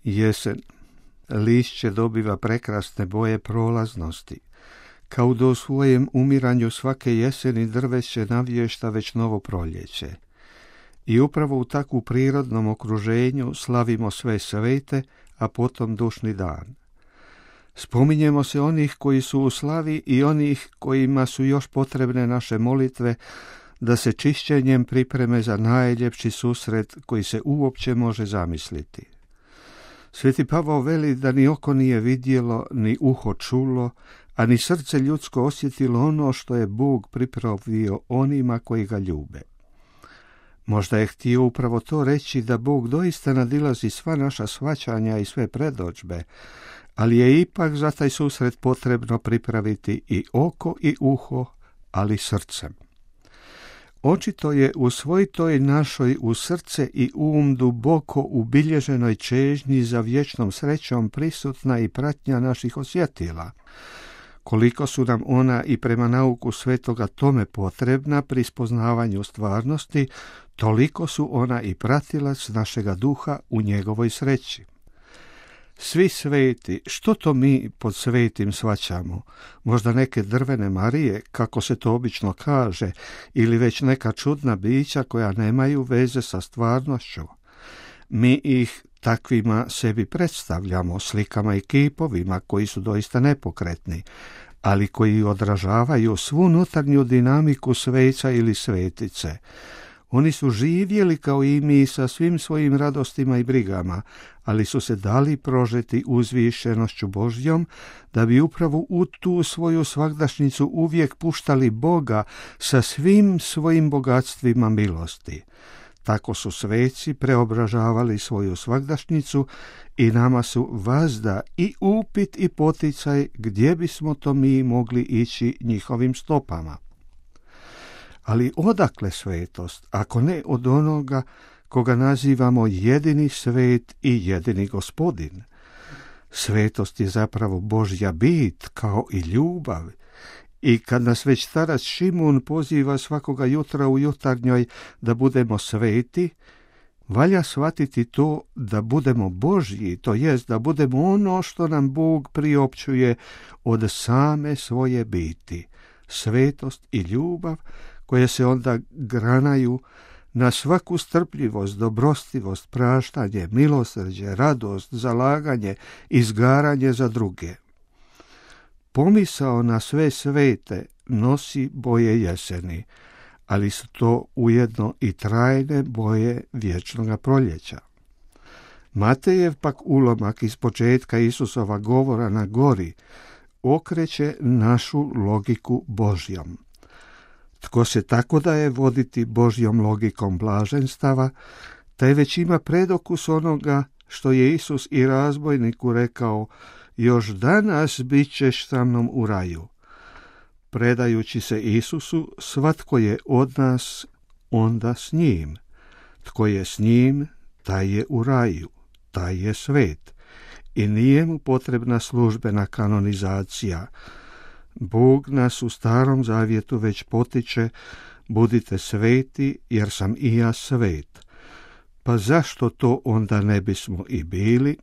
Jesen. Lišće dobiva prekrasne boje prolaznosti. Kao da u svojem umiranju svake jeseni drveće navješta već novo proljeće. I upravo u takvu prirodnom okruženju slavimo sve svete, a potom dušni dan. Spominjemo se onih koji su u slavi i onih kojima su još potrebne naše molitve da se čišćenjem pripreme za najljepši susret koji se uopće može zamisliti. Sveti Pavao veli da ni oko nije vidjelo, ni uho čulo, a ni srce ljudsko osjetilo ono što je Bog pripravio onima koji ga ljube. Možda je htio upravo to reći da Bog doista nadilazi sva naša shvaćanja i sve predodžbe, ali je ipak za taj susret potrebno pripraviti i oko i uho, ali srcem. Očito je u svoj toj našoj u srce i duboko ubilježenoj čežnji za vječnom srećom prisutna i pratnja naših osjetila. Koliko su nam ona i prema nauku svetoga tome potrebna pri spoznavanju stvarnosti, toliko su ona i pratilac našega duha u njegovoj sreći. Svi sveti, što to mi pod svetim shvaćamo? Možda neke drvene Marije, kako se to obično kaže, ili već neka čudna bića koja nemaju veze sa stvarnošću. Mi ih takvima sebi predstavljamo, slikama i kipovima koji su doista nepokretni, ali koji odražavaju svu unutarnju dinamiku sveca ili svetice. Oni su živjeli kao i mi sa svim svojim radostima i brigama, ali su se dali prožeti uzvišenošću Božjom, da bi upravo u tu svoju svagdašnjicu uvijek puštali Boga sa svim svojim bogatstvima milosti. Tako su sveci preobražavali svoju svagdašnjicu i nama su vazda i upit i poticaj gdje bismo to mi mogli ići njihovim stopama. Ali odakle svetost, ako ne od onoga koga nazivamo jedini svet i jedini gospodin? Svetost je zapravo Božja bit, kao i ljubav. I kad nas već starac Šimun poziva svakoga jutra u jutarnjoj da budemo sveti, valja shvatiti to da budemo Božji, to jest da budemo ono što nam Bog priopćuje od same svoje biti. Svetost i ljubav koje se onda granaju na svaku strpljivost, dobrostivost, praštanje, milosrđe, radost, zalaganje, izgaranje za druge. Pomisao na sve svete nosi boje jeseni, ali su to ujedno i trajne boje vječnoga proljeća. Matejev pak ulomak iz početka Isusova govora na gori okreće našu logiku Božjom. Tko se tako daje voditi Božjom logikom blaženstava, taj već ima predokus onoga što je Isus i razbojniku rekao: još danas bit ćeš sa mnom u raju. Predajući se Isusu, svatko je od nas onda s njim. Tko je s njim, taj je u raju, taj je svet. I nije mu potrebna službena kanonizacija. Bog nas u Starom Zavjetu već potiče: budite sveti, jer sam i ja svet. Pa zašto to onda ne bismo i bili?